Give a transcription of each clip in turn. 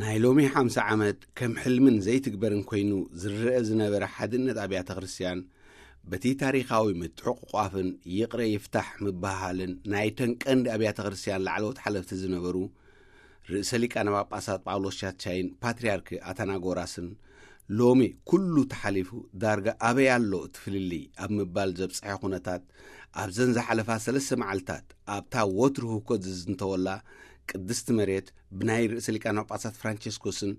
ናይ ሎሚ ሓምሳ ዓመት ከም ሕልምን ዘይትግበርን ኮይኑ ዝረአ ዝነበረ ሓድነት ኣብያተ ክርስቲያን፣ በቲ ታሪኻዊ ምትሕቑቋፍን ይቕረ ይፍታሕ ምበሃልን ናይተን ቀንዲ ኣብያተ ክርስቲያን ላዕለዎት ሓለፍቲ ዝነበሩ ርእሰ ሊቃነ ጳጳሳት ጳውሎስ ሻቻይን ፓትርያርክ ኣታናጎራስን፣ ሎሚ ኩሉ ተሓሊፉ ዳርጋ ኣበይ ኣሎ እቲ ፍልልይ ኣብ ምባል ዘብጽሐ ኩነታት፣ ኣብዘን ዝሓለፋ ሰለስተ መዓልታት ኣብታ ወትሩ ህውከት ዝዝንተወላ ቅድስቲ መሬት ብናይ ርእሰ ሊቃነ ጳጳሳት ፍራንቸስኮስን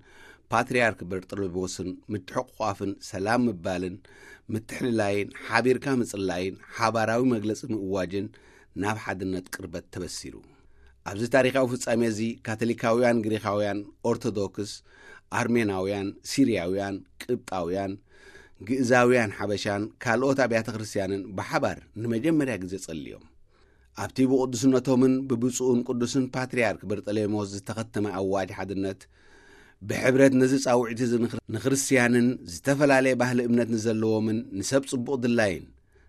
ፓትርያርክ በርጠሎሜዎስን ምትሕቑቋፍን ሰላም ምባልን ምትሕልላይን ሓቢርካ ምጽላይን ሓባራዊ መግለጺ ምእዋጅን ናብ ሓድነት ቅርበት ተበሲሩ። ኣብዚ ታሪኻዊ ፍጻሜ እዚ ካቶሊካውያን፣ ግሪኻውያን፣ ኦርቶዶክስ፣ ኣርሜናውያን፣ ሲርያውያን፣ ቅብጣውያን፣ ግእዛውያን ሓበሻን ካልኦት ኣብያተ ክርስቲያንን ብሓባር ንመጀመርያ ግዜ ጸልዮም። ኣብቲ ብቕዱስነቶምን ብብፁዕን ቅዱስን ፓትርያርክ በርጠሌሞስ ዝተኸተመ ኣዋጅ ሓድነት፣ ብሕብረት ነዚ ጻውዒት እዚ ንክር-፣ ንክርስትያንን ዝተፈላለየ ባህሊ እምነት ንዘለዎምን ንሰብ ጽቡቕ ድላይን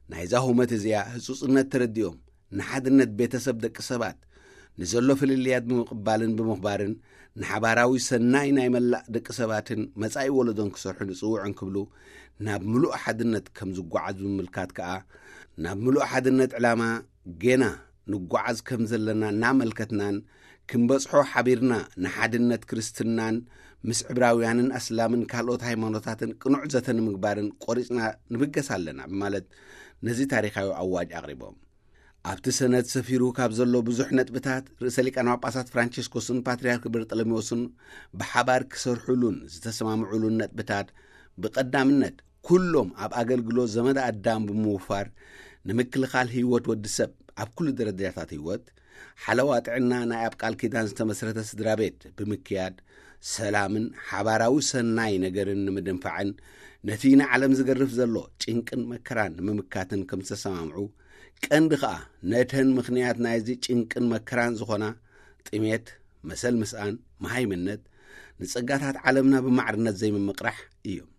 ናይዛ ሁመት እዚኣ ህጹጽነት ተረዲኦም፣ ንሓድነት ቤተሰብ ደቂ ሰባት፣ ንዘሎ ፍልልያት ብምቕባልን ብምኽባርን፣ ንሓባራዊ ሰናይ ናይ መላእ ደቂ ሰባትን መጻኢ ወለዶን ክሰርሑ ንጽውዖን ክብሉ፣ ናብ ምሉእ ሓድነት ከም ዝጓዓዝ ብምምልካት ከኣ፣ ናብ ምሉእ ሓድነት ዕላማ ጌና ንጓዓዝ ከም ዘለና እናመልከትናን፣ ክንበጽሖ ሓቢርና ንሓድነት ክርስትናን ምስ ዕብራውያንን ኣስላምን ካልኦት ሃይማኖታትን ቅኑዕ ዘተ ንምግባርን ቆሪጽና ንብገስ ኣለና ብማለት ነዚ ታሪኻዊ ኣዋጅ ኣቕሪቦም። ኣብቲ ሰነድ ሰፊሩ ካብ ዘሎ ብዙሕ ነጥብታት፣ ርእሰ ሊቃነ ጳጳሳት ፍራንቸስኮስን ፓትርያርክ በርጠሎሜዎስን ብሓባር ክሰርሑሉን ዝተሰማምዑሉን ነጥብታት፣ ብቐዳምነት ኩሎም ኣብ ኣገልግሎት ዘመድ ኣዳም ብምውፋር፣ ንምክልኻል ህይወት ወዲ ሰብ ኣብ ኩሉ ደረጃታት ህይወት፣ ሓለዋ ጥዕና ናይ ኣብ ቃል ኪዳን ዝተመስረተ ስድራ ቤት ብምክያድ፣ ሰላምን ሓባራዊ ሰናይ ነገርን ንምድንፋዕን፣ ነቲ ንዓለም ዝገርፍ ዘሎ ጭንቅን መከራን ንምምካትን ከም ዝተሰማምዑ፣ ቀንዲ ኸኣ ነተን ምኽንያት ናይዚ ጭንቅን መከራን ዝኾና ጥሜት፣ መሰል ምስኣን፣ መሃይምነት፣ ንጸጋታት ዓለምና ብማዕርነት ዘይምምቕራሕ እዮም።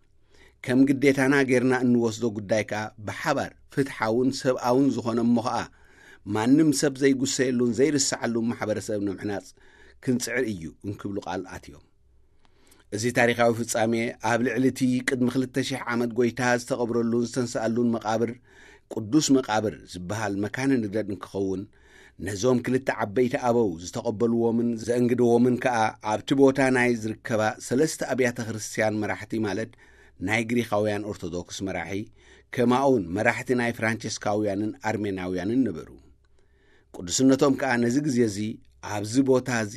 ከም ግዴታና ጌርና እንወስዶ ጉዳይ ከኣ ብሓባር ፍትሓውን ሰብኣውን ዝኾነ እሞ ኸኣ ማንም ሰብ ዘይጉሰየሉን ዘይርሰዓሉን ማሕበረሰብ ንምሕናጽ ክንጽዕር እዩ እንክብሉ ቃል ኣትዮም። እዚ ታሪኻዊ ፍጻሜ ኣብ ልዕሊ እቲ ቅድሚ ክልተ ሽሕ ዓመት ጎይታ ዝተቐብረሉን ዝተንስኣሉን መቓብር ቅዱስ መቓብር ዝበሃል መካነ ንግደት እንክኸውን፣ ነዞም ክልተ ዓበይቲ ኣበው ዝተቐበልዎምን ዘእንግድዎምን ከኣ ኣብቲ ቦታ ናይ ዝርከባ ሰለስተ ኣብያተ ክርስቲያን መራሕቲ ማለት ናይ ግሪኻውያን ኦርቶዶክስ መራሒ፣ ከማኡውን መራሕቲ ናይ ፍራንቸስካውያንን ኣርሜናውያንን ነበሩ። ቅዱስነቶም ከኣ ነዚ ግዜ እዚ ኣብዚ ቦታ እዚ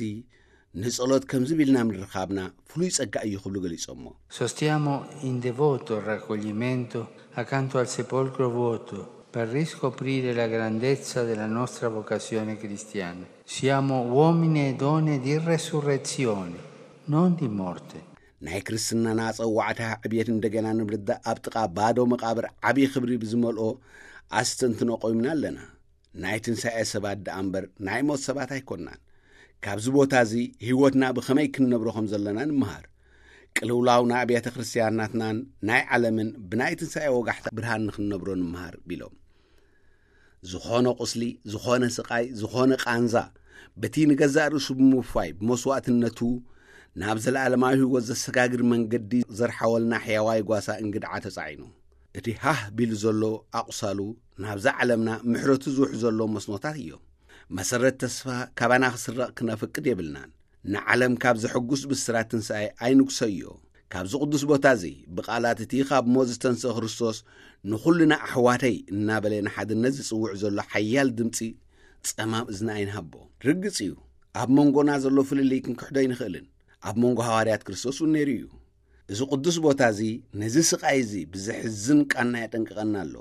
ንጸሎት ከምዚ ቢልና ምርኻብና ፍሉይ ጸጋ እዩ ክብሉ ገሊጾሞ። Sostiamo in devoto il raccoglimento accanto al sepolcro vuoto per riscoprire la grandezza della nostra vocazione cristiana. Siamo uomini e donne di resurrezione, non di morte. ናይ ክርስትናና ጸዋዕታ ዕብየት እንደገና ንምርዳእ ኣብ ጥቓ ባዶ መቓብር ዓብዪ ክብሪ ብዝመልኦ ኣስተንትኖ ቆይምና ኣለና። ናይ ትንሳኤ ሰባት ደኣ እምበር ናይ ሞት ሰባት ኣይኮንናን። ካብዚ ቦታ እዚ ህይወትና ብኸመይ ክንነብሮ ከም ዘለና ንምሃር። ቅልውላው ናይ ኣብያተ ክርስቲያናትናን ናይ ዓለምን ብናይ ትንሳኤ ወጋሕታ ብርሃን ንክንነብሮ ንምሃር ቢሎም። ዝኾነ ቁስሊ፣ ዝኾነ ስቓይ፣ ዝኾነ ቃንዛ፣ በቲ ንገዛእ ርእሱ ብምውፋይ ብመስዋእትነቱ ናብ ዘለኣለማዊ ህይወት ዘሰጋግር መንገዲ ዘርሓወልና ሕያዋይ ጓሳ እንግድዓ ተጻዒኑ። እቲ ሃህ ቢሉ ዘሎ ኣቑሳሉ ናብዛ ዓለምና ምሕረቱ ዝውሕ ዘሎ መስኖታት እዮም። መሰረት ተስፋ ካባና ክስረቕ ክነፍቅድ የብልናን። ንዓለም ካብ ዘሐጉስ ብስራት ትንሳኤ ኣይንጉሰዮ። ካብዚ ቅዱስ ቦታ እዚ ብቓላት እቲ ካብ ሞት ዝተንስአ ክርስቶስ ንኹልና ኣሕዋተይ እናበለ ንሓድነት ዝጽውዕ ዘሎ ሓያል ድምጺ ጸማም እዝኒ ኣይንሃቦ። ርግጽ እዩ፣ ኣብ መንጎና ዘሎ ፍልልይ ክንክሕዶ ኣይንኽእልን። ኣብ መንጎ ሃዋርያት ክርስቶስ እውን ነይሩ እዩ። እዚ ቅዱስ ቦታ እዚ ነዚ ስቓይ እዚ ብዘሕዝን ቃና የጠንቅቐና ኣሎ።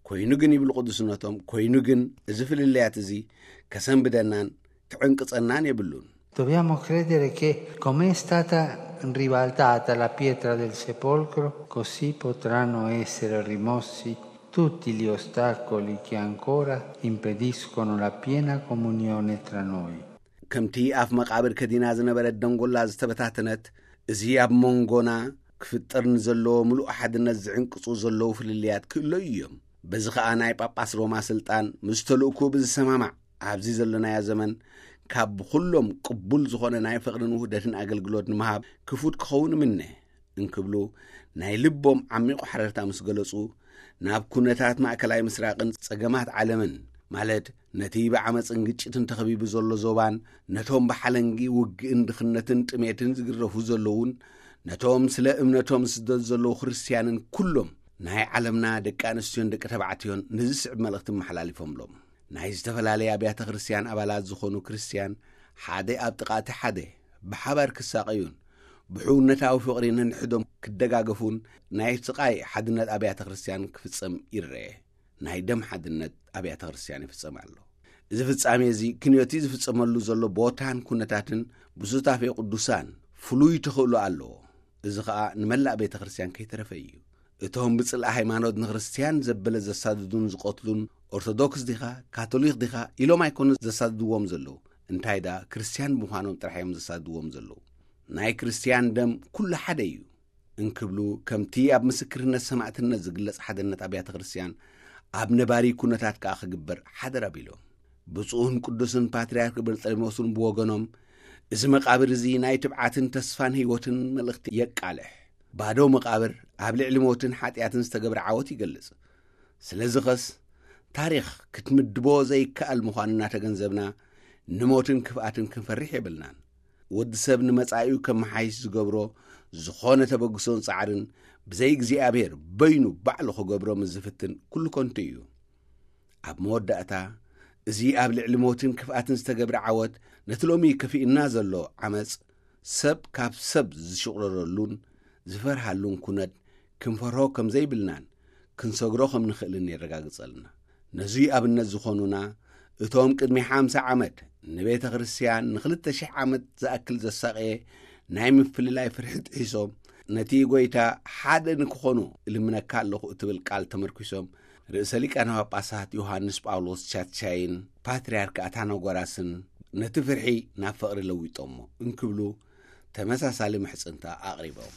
ኮይኑ ግን ይብሉ ቅዱስነቶም፣ ኮይኑ ግን እዚ ፍልልያት እዚ ከሰንብደናን ክዕንቅጸናን የብሉን። Dobbiamo credere che, come è stata ribaltata la pietra del sepolcro, così potranno essere rimossi tutti gli ostacoli che ancora impediscono la piena comunione tra noi. ከምቲ ኣፍ መቓብር ከዲና ዝነበረት ደንጎላ ዝተበታተነት፣ እዚ ኣብ መንጎና ክፍጠር ንዘለዎ ምሉእ ሓድነት ዝዕንቅጹ ዘለዉ ፍልልያት ክእለዩ እዮም። በዚ ኸኣ ናይ ጳጳስ ሮማ ስልጣን ምስ ተልእኮ ብዝሰማማዕ ኣብዚ ዘለናዮ ዘመን ካብ ብኹሎም ቅቡል ዝኾነ ናይ ፍቕርን ውህደትን ኣገልግሎት ንምሃብ ክፉት ክኸውን እምነ እንክብሉ ናይ ልቦም ዓሚቑ ሓረርታ ምስ ገለጹ፣ ናብ ኩነታት ማእከላይ ምስራቕን ጸገማት ዓለምን፣ ማለት ነቲ ብዓመጽን ግጭትን ተኸቢቡ ዘሎ ዞባን ነቶም ብሓለንጊ ውግእን ድኽነትን ጥሜትን ዝግረፉ ዘለዉን ነቶም ስለ እምነቶም ዝስደዱ ዘለዉ ክርስትያንን ኩሎም ናይ ዓለምና ደቂ ኣንስትዮን ደቂ ተባዕትዮን ነዚ ዝስዕብ መልእኽቲ መሓላሊፎምሎም። ናይ ዝተፈላለየ ኣብያተ ክርስትያን ኣባላት ዝኾኑ ክርስትያን ሓደ ኣብ ጥቓ እቲ ሓደ ብሓባር ክሳቐዩን ብሕውነታዊ ፍቕሪ ነንሕዶም ክደጋገፉን ናይ ስቓይ ሓድነት ኣብያተ ክርስትያን ክፍጸም ይረአ። ናይ ደም ሓድነት ኣብያተ ክርስትያን ይፍጸም ኣሎ። እዚ ፍጻሜ እዚ ክንዮቲ ዝፍጸመሉ ዘሎ ቦታን ኩነታትን ብሱታፌ ቅዱሳን ፍሉይ ተኽእሎ ኣለዎ። እዚ ኸኣ ንመላእ ቤተ ክርስትያን ከይተረፈ እዩ። እቶም ብጽልኢ ሃይማኖት ንክርስትያን ዘበለ ዘሳድዱን ዝቐትሉን ኦርቶዶክስ ዲኻ ካቶሊክ ዲኻ ኢሎም ኣይኮኑ ዘሳድድዎም ዘለዉ። እንታይ ደኣ ክርስትያን ብምዃኖም ጥራሕ እዮም ዘሳድድዎም ዘለዉ። ናይ ክርስትያን ደም ኩሉ ሓደ እዩ እንክብሉ ከምቲ ኣብ ምስክርነት ሰማዕትነት ዝግለጽ ሓድነት ኣብያተ ክርስትያን ኣብ ነባሪ ኩነታት ከኣ ክግበር ሓደር ኣቢሎም። ብፁዕን ቅዱስን ፓትርያርክ በርጠሌሞስን ብወገኖም እዚ መቓብር እዚ ናይ ትብዓትን ተስፋን ህይወትን መልእኽቲ የቃልሕ። ባዶ መቓብር ኣብ ልዕሊ ሞትን ሓጢኣትን ዝተገብረ ዓወት ይገልጽ። ስለዚ ኸስ ታሪኽ ክትምድቦ ዘይከኣል ምዃኑ እናተገንዘብና ንሞትን ክፍኣትን ክንፈርሕ የብልናን። ወዲ ሰብ ንመጻኢኡ ከመሓይሽ ዝገብሮ ዝኾነ ተበግሶን ጻዕርን ብዘይ እግዚኣብሔር በይኑ ባዕሉ ክገብሮ ምስ ዝፍትን ኩሉ ከንቱ እዩ። ኣብ መወዳእታ እዚ ኣብ ልዕሊ ሞትን ክፍኣትን ዝተገብረ ዓወት ነቲ ሎሚ ከፊእና ዘሎ ዓመጽ ሰብ ካብ ሰብ ዝሽቑረረሉን ዝፈርሃሉን ኩነት ክንፈርሆ ከም ዘይብልናን ክንሰግሮ ከም ንኽእልን የረጋግጸልና። ነዙይ ኣብነት ዝኾኑና እቶም ቅድሚ ሓምሳ ዓመት ንቤተ ክርስትያን ንኽልተ ሽሕ ዓመት ዝኣክል ዘሳቐየ ናይ ምፍልላይ ፍርሒ ጥሒሶም ነቲ ጎይታ ሓደ ንክኾኑ እልምነካ ኣለኹ እትብል ቃል ተመርኪሶም ርእሰ ሊቃነ ጳጳሳት ዮሃንስ ጳውሎስ ቻቻይን ፓትርያርክ ኣታናጎራስን ነቲ ፍርሒ ናብ ፍቕሪ ለዊጦሞ እንክብሉ ተመሳሳሊ ምሕጽንታ ኣቕሪቦም።